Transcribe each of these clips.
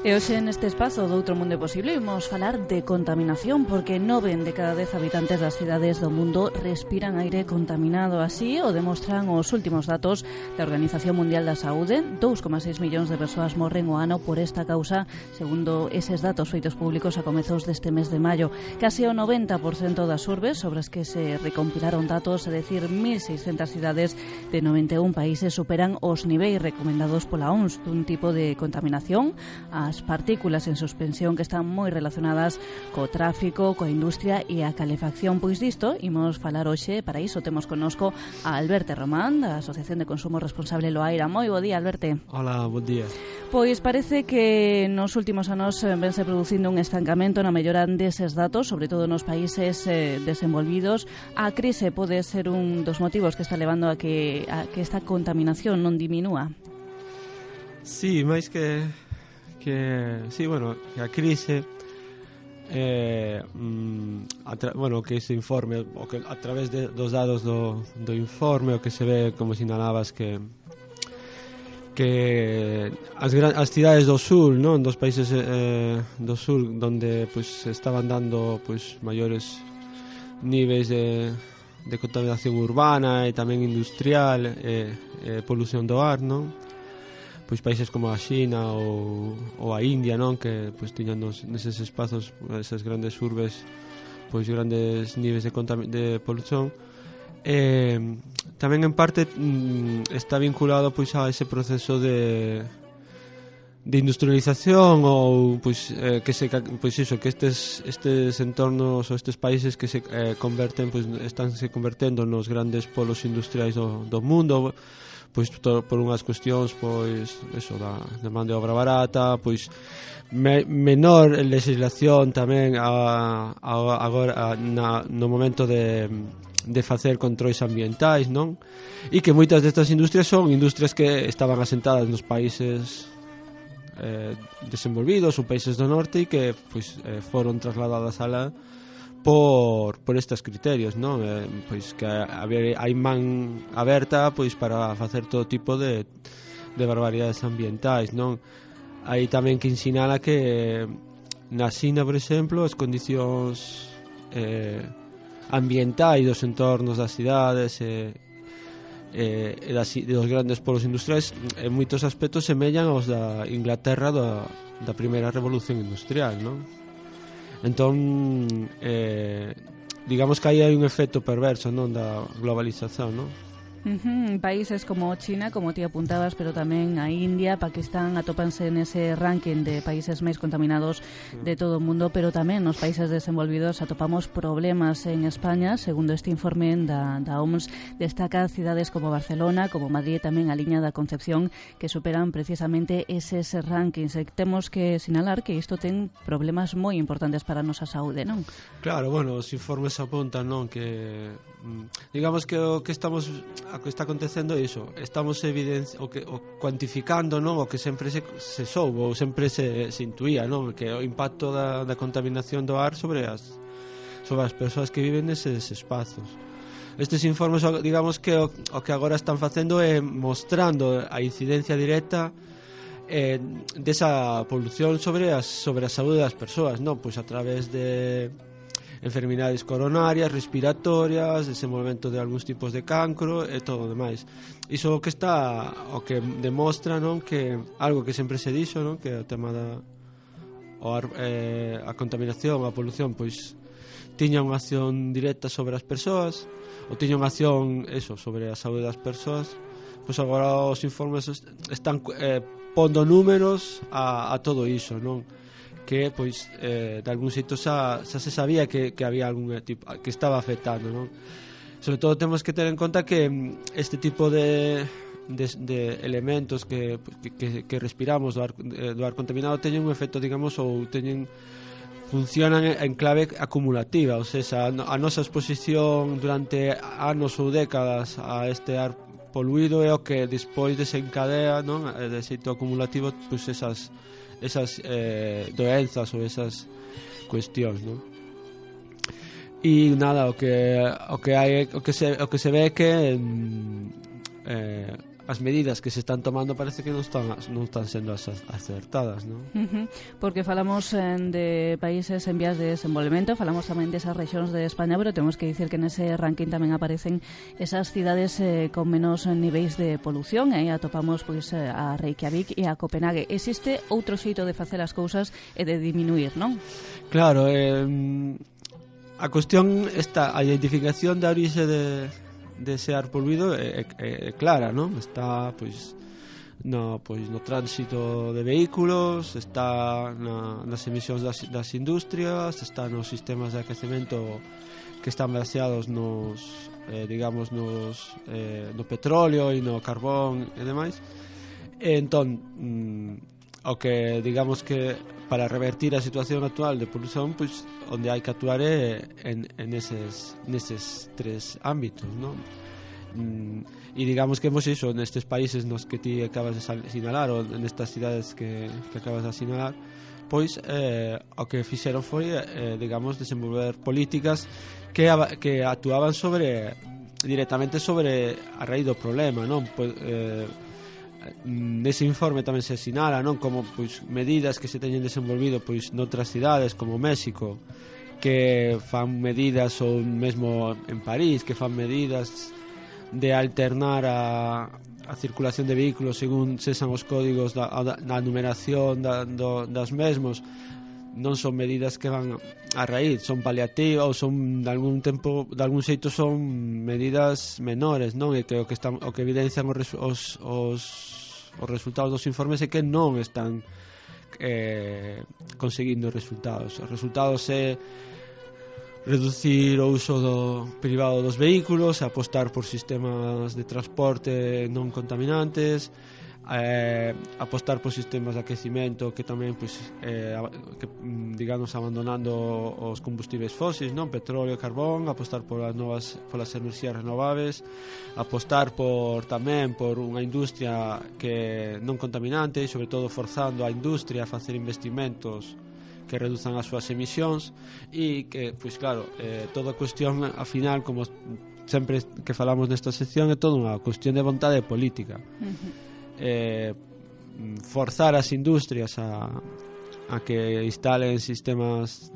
E hoxe neste espazo do Outro Mundo Posible imos falar de contaminación, porque 9 de cada 10 habitantes das cidades do mundo respiran aire contaminado. Así o demostran os últimos datos da Organización Mundial da Saúde. 2,6 millóns de persoas morren o ano por esta causa, segundo eses datos feitos públicos a comezos deste mes de maio. Case o 90% das urbes sobre as que se recompilaron datos, é dicir, 1.600 cidades de 91 países, superan os niveis recomendados pola OMS dun tipo de contaminación, as partículas en suspensión, que están moi relacionadas co tráfico, coa industria e a calefacción. Pois disto imos falar hoxe. Para iso temos connosco a Alberto Román, da Asociación de Consumo Responsable Loaira. Moi bo día, Alberto. Hola, bo día. Pois parece que nos últimos anos vense producindo un estancamento na mellora deses datos, sobre todo nos países desenvolvidos. A crise pode ser un dos motivos que está levando a que esta contaminación non diminúa. Sí, máis que sí, bueno, que a crise que ese informe, o que a través dos dados do informe, o que se ve, como sinalabas, que as cidades do sur, non, dos países do sur, donde pues estaban dando pues maiores niveis de contaminación urbana e tamén industrial, polución do ar, non? Pois países como a China ou a India, non, que pois tiñan neses espazos, esas grandes urbes, pois grandes niveis de polución. Tamén en parte está vinculado pois a ese proceso de industrialización, ou pois que estes entornos ou estes países que se converten, pois están se convertendo nos grandes polos industriais do mundo, pois por unhas cuestións pois eso da man de obra barata, pois menor legislación tamén agora no momento de facer controis ambientais, non? E que moitas destas industrias son industrias que estaban asentadas nos países desenvolvidos ou países do norte e que pois foron trasladadas alá por estes criterios, non? Pois que hai man aberta pois para facer todo tipo de barbaridades ambientais, non? Hai tamén que sinala que na China, por exemplo, as condicións ambientais dos entornos das cidades dos grandes polos industriais en moitos aspectos semellan aos da Inglaterra da primeira revolución industrial, non? Entón, digamos que aí hai un efecto perverso, non, da globalización, non? Países como China, como ti apuntabas, pero tamén a India, Pakistán atópanse nese ranking de países máis contaminados de todo o mundo, pero tamén nos países desenvolvidos atopamos problemas. En España, segundo este informe da OMS, destaca cidades como Barcelona, como Madrid, tamén a liña da Concepción, que superan precisamente eses rankings. Temos que sinalar que isto ten problemas moi importantes para a nosa saúde, non? Claro, bueno, os informes apuntan, non, que digamos que o que está acontecendo é iso, estamos cuantificando, non, o que sempre se soubo ou sempre se intuía, non, que o impacto da contaminación do ar sobre as persoas que viven neses espazos. Estes informes, digamos que o que agora están facendo é mostrando a incidencia directa desa polución sobre a saúde das persoas, non, pois a través de enfermidades coronarias, respiratorias, desenvolvemento de algúns tipos de cancro e todo o demais. Iso o que demostra, non, que algo que sempre se dixo, non, que o tema a contaminación, a polución, pois tiña unha acción directa sobre as persoas, ou tiña unha acción sobre a saúde das persoas. Pois agora os informes están pondo números a todo iso, non? Que pois de algún xeito xa se sabía que había algún tipo que estaba afectando, non? Sobre todo temos que ter en conta que este tipo de elementos que respiramos do ar contaminado teñen un efecto, digamos, ou funcionan en clave acumulativa, ou seja, a nosa exposición durante anos ou décadas a este ar poluído é o que despois desencadea, non, de xeito acumulativo, pois esas doenzas ou esas cuestións, non? E nada, o que se ve é que as medidas que se están tomando parece que non están sendo acertadas, non? Porque falamos de países en vías de desenvolvemento, falamos tamén desas rexións de España, pero temos que dicir que nese ranking tamén aparecen esas cidades con menos niveis de polución, e aí atopamos pois a Reykjavik e a Copenhague. Existe outro xeito de facer as cousas e de diminuir, non? Claro, a cuestión está, a identificación da orixe de ese ar poluído é clara, non? Está no tránsito de vehículos, está nas emisións das industrias, está nos sistemas de aquecemento que están baseados no petróleo e no carbón e demais. E entón, o que digamos que para revertir a situación actual de polución, pois onde hai que actuar é neses tres ámbitos, non? E digamos que hemos iso nestes países nos que ti acabas de sinalar, ou nestas cidades que acabas de sinalar, pois o que fixeron foi digamos desenvolver políticas que actuaban directamente sobre a raíz do problema, non? Nese informe tamén se sinala, non, como pois medidas que se teñen desenvolvido pois noutras cidades como México, que fan medidas, ou mesmo en París, que fan medidas de alternar a circulación de vehículos según sexan os códigos na numeración das mesmos. Non son medidas que van a raíz, son paliativas, ou son de algún xeito son medidas menores, non? E que o que evidencian os resultados dos informes é que non están conseguindo resultados. Os resultados é reducir o uso privado dos vehículos, apostar por sistemas de transporte non contaminantes, apostar por sistemas de aquecimento que tamén digamos abandonando os combustibles fósiles, non, petróleo e carbón, apostar polas enerxías renovables, apostar tamén por unha industria que non contaminante e sobre todo forzando a industria a facer investimentos que reduzan as súas emisións, e que, pois claro, toda a cuestión ao final, como sempre que falamos nesta sección, é toda unha cuestión de vontade política. Forzar as industrias a que instalen sistemas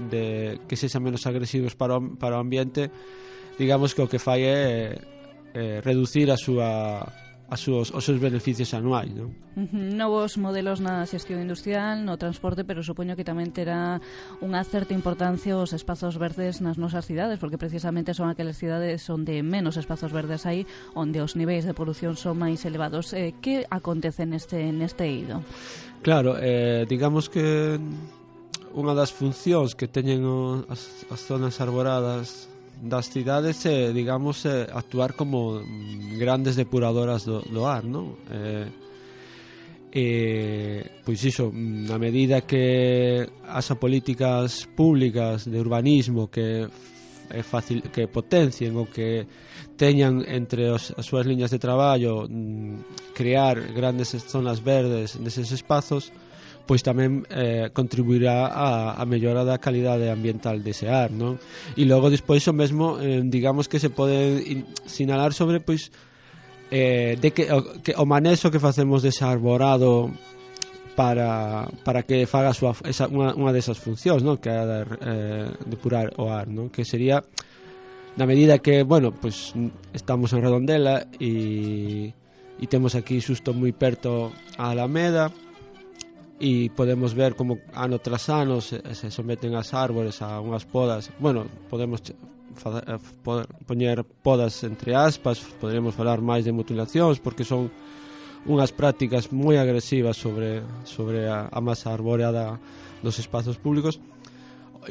que sexan menos agresivos para o ambiente, digamos que o que fai é reducir os seus beneficios anuais, non? Novos modelos na xestión industrial, no transporte, pero supoño que tamén terá unha certa importancia os espazos verdes nas nosas cidades, porque precisamente son aquelas cidades onde menos espazos verdes hai, onde os niveis de polución son máis elevados. Que acontece neste eido? Claro, digamos que unha das funcións que teñen as zonas arboradas das cidades é, digamos, actuar como grandes depuradoras do ar, non? Pois iso, na medida que as políticas públicas de urbanismo que potencien ou que teñan entre as súas liñas de traballo crear grandes zonas verdes neses espazos, pois tamén contribuirá a mellora da calidade ambiental dese ar, non? E logo despois o mesmo, digamos que se pode sinalar sobre pois de que o manexo que facemos dese arborado para que faga unha desas funcións, non? Que é depurar o ar, non? Que sería na medida que, bueno, pois estamos en Redondela e temos aquí xusto moi perto a Alameda, e podemos ver como ano tras ano se someten as árbores a unhas podas. Bueno, podemos poñer podas entre aspas, poderíamos falar máis de mutilacións, porque son unhas prácticas moi agresivas sobre a masa arboreada dos espazos públicos.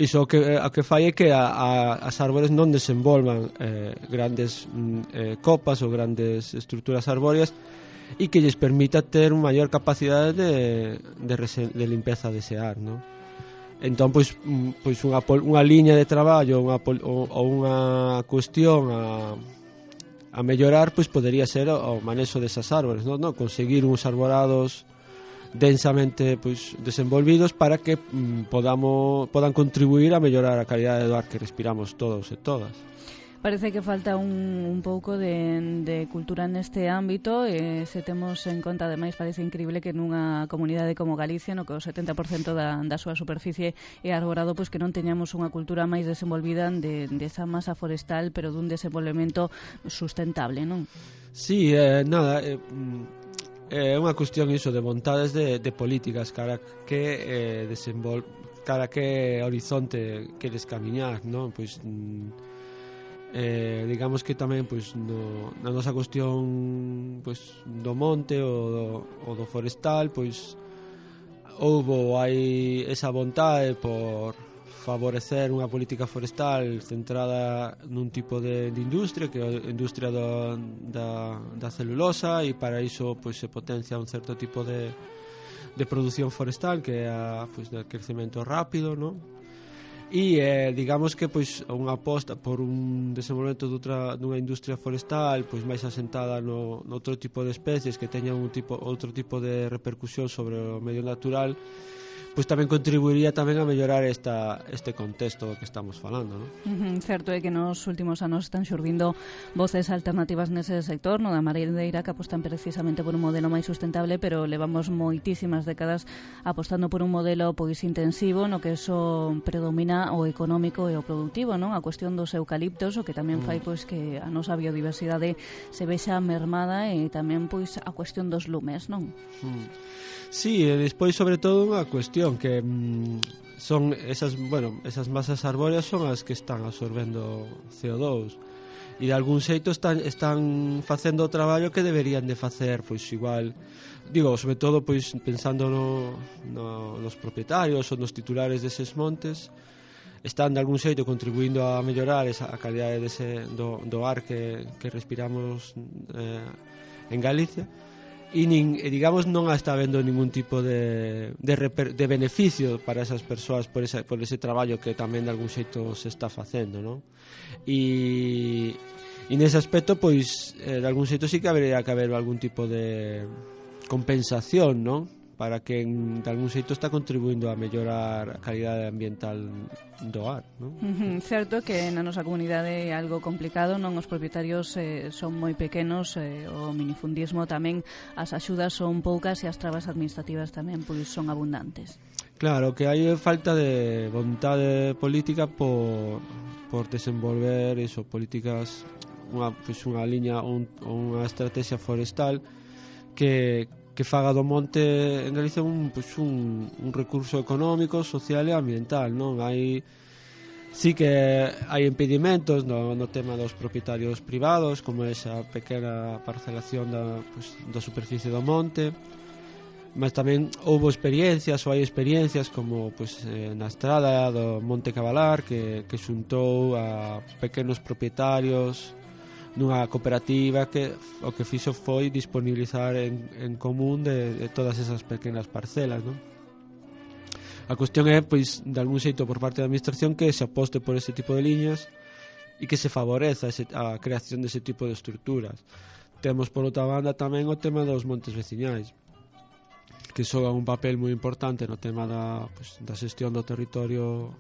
Iso o que fai é que as árbores non desenvolvan grandes copas ou grandes estruturas arbóreas, e que lles permita ter unha maior capacidade de limpeza dese ar, non? Entón, pois unha liña de traballo ou unha cuestión a mellorar, pois podería ser o manexo desas árbores, non? Conseguir uns arborados densamente pois desenvolvidos para que podan contribuir a mellorar a calidade do ar que respiramos todos e todas. Parece que falta un pouco de cultura neste ámbito e se temos en conta, ademais, parece increíble que nunha comunidade como Galicia, no que o 70% da súa superficie é arborado, pois que non teñamos unha cultura máis desenvolvida desa masa forestal, pero dun desenvolvemento sustentable, non? Sí, nada, é unha cuestión iso de vontades de políticas cara que cara que horizonte queres camiñar, non? Pois digamos que tamén pois na nosa cuestión pois do monte ou do forestal, pois hai esa vontade por favorecer unha política forestal centrada nun tipo de industria, que é a industria da celulosa, e para iso pois se potencia un certo tipo de produción forestal, que é pois do crecemento rápido, non? E digamos que pois unha aposta por un desenvolvemento dunha industria forestal pois máis asentada no outro tipo de especies que teñan outro tipo de repercusión sobre o medio natural, pois tamén contribuiría tamén a mellorar este contexto do que estamos falando, non? Certo é que nos últimos anos están xurdindo voces alternativas nese sector, no da mareira, que apostan precisamente por un modelo máis sustentable, pero levamos moitísimas décadas apostando por un modelo pois intensivo, no que eso predomina o económico e o productivo, non? A cuestión dos eucaliptos, o que tamén fai pois que a nosa biodiversidade se vexa mermada, e tamén pois a cuestión dos lumes, non? Sí, e despois sobre todo unha cuestión que son esas masas arbóreas son as que están absorbendo CO2 e de algún xeito están facendo o traballo que deberían de facer, pois igual, digo, sobre todo pois pensando nos propietarios ou nos titulares deses montes, están de algún xeito contribuindo a mellorar a calidade do ar que respiramos en Galicia. E digamos non está habendo ningún tipo de beneficio para esas persoas por ese traballo que tamén de algún xeito se está facendo, non? E nese aspecto pois de algún xeito sí que habería que haber algún tipo de compensación, non? Para que de algún xeito está contribuindo a mellorar a calidade ambiental do ar, non? Certo que na nosa comunidade é algo complicado, non? Os propietarios son moi pequenos, o minifundismo tamén, as axudas son poucas e as trabas administrativas tamén pois son abundantes. Claro, que hai falta de vontade política por desenvolver políticas, unha liña ou unha estrategia forestal que faga do monte en Galicia un recurso económico, social e ambiental, non? Sí que hai impedimentos no tema dos propietarios privados, como esa pequena parcelación da superficie do monte, mas tamén houve experiencias ou hai experiencias como na estrada do Monte Cavalar que xuntou a pequenos propietarios nunha cooperativa que o que fixo foi disponibilizar en común de todas esas pequenas parcelas, non? A cuestión é, pois, de algún xeito por parte da administración que se aposte por ese tipo de liñas e que se favoreza a creación dese tipo de estructuras. Temos, por outra banda, tamén o tema dos montes veciñais, que xogan un papel moi importante no tema da xestión do territorio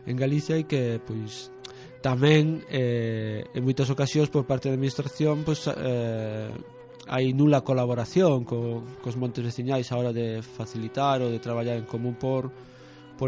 en Galicia e que, pois, tamén en moitas ocasións por parte da administración hai nula colaboración cos montes veciñais a hora de facilitar ou de traballar en común por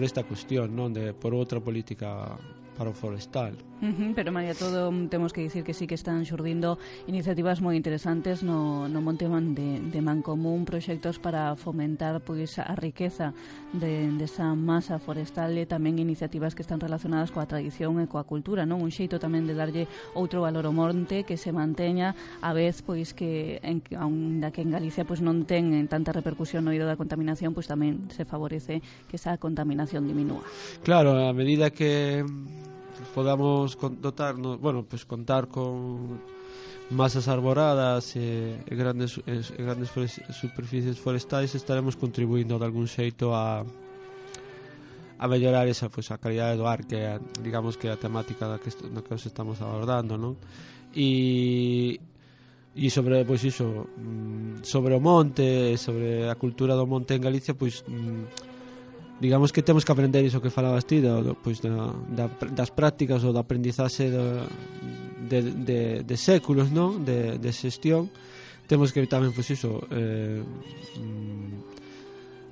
esta cuestión, non, por outra política para o forestal. Pero, María, todo temos que dicir que sí que están xurdindo iniciativas moi interesantes no Monte de Mancomún, proxectos para fomentar pois a riqueza desa masa forestal e tamén iniciativas que están relacionadas coa tradición e coa cultura, non? Un xeito tamén de darlle outro valor ao monte que se manteña a vez pois que aínda que en Galicia pois non ten tanta repercusión no eido da contaminación, pois tamén se favorece que esa contaminación diminúa. Claro, a medida que podamos contar con masas arboradas e grandes superficies forestais, estaremos contribuindo de algún xeito a mellorar esa a calidade do ar, que é, digamos, que a temática no que os estamos abordando, non? E e sobre, pois iso, sobre o monte, sobre a cultura do monte en Galicia, pois digamos que temos que aprender iso que falabas ti, pois das prácticas ou da aprendizaxe de séculos, non? De xestión. Temos que tamén, pois iso,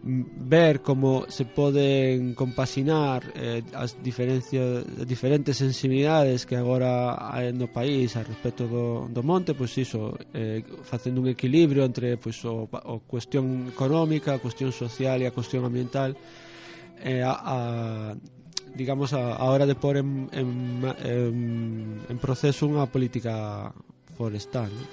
ver como se poden compaxinar as diferentes sensibilidades que agora hai no país a respecto do monte, pois iso, facendo un equilibrio entre, pois, o cuestión económica, a cuestión social e a cuestión ambiental, digamos a hora de pôr en proceso unha política forestal, non?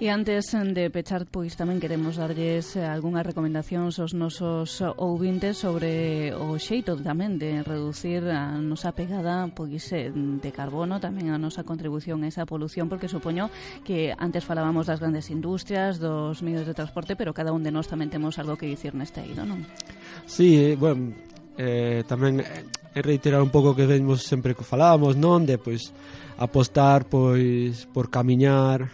E antes de pechar, pois tamén queremos darlles algunhas recomendacións aos nosos ouvintes sobre o xeito tamén de reducir a nosa pegada pois de carbono, tamén a nosa contribución a esa polución, porque supoño que antes falábamos das grandes industrias, dos medios de transporte, pero cada un de nós tamén temos algo que dicir neste eido, non? Sí, bueno, tamén reiterar un pouco que vemos sempre que falábamos, non? De pois apostar pois por camiñar,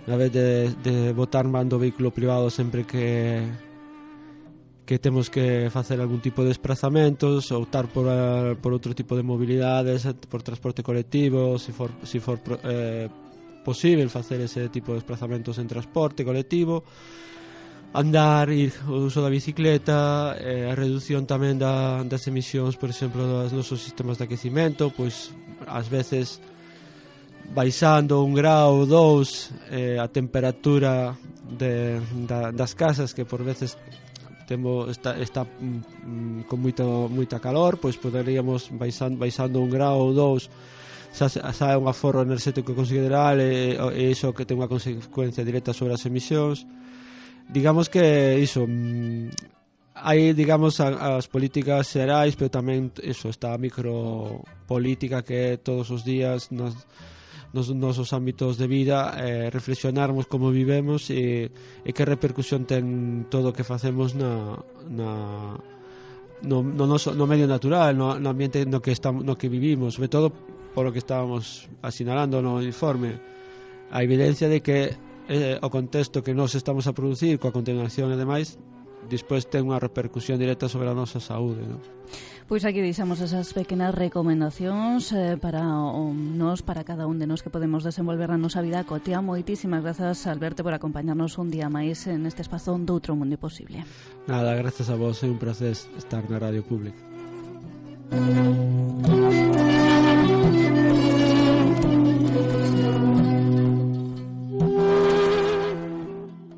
a vez de botar mando vehículo privado sempre que temos que facer algún tipo de desplazamentos, optar por outro tipo de mobilidades, por transporte colectivo, se for posible facer ese tipo de desplazamentos en transporte colectivo, andar, o uso da bicicleta, a reducción tamén das emisións, por exemplo, dos nosos sistemas de aquecimento, pois ás veces baixando 1 grau, 2 a temperatura das casas, que por veces está con moita calor, pois poderíamos baixando 1 grau ou 2 xa é un aforro enerxético consideral, e iso que ten unha consecuencia directa sobre as emisións. Digamos que iso, hai, digamos, as políticas xerais, pero tamén iso, está a micropolítica que todos os días nos nosos ámbitos de vida, reflexionarmos como vivemos e que repercusión ten todo o que facemos no medio natural, no ambiente no que vivimos, sobre todo por o que estábamos asinalando no informe, a evidencia de que o contexto que nós estamos a producir coa contaminación e demais despois ten unha repercusión directa sobre a nosa saúde, non? Pois aquí deixamos esas pequenas recomendacións para nós, para cada un de nós que podemos desenvolver a nosa vida cotiá. Moitísimas grazas, Alberto, por acompañarnos un día máis neste espazo doutro mundo posible. Nada, grazas a vos, é un placer estar na Radio Pública.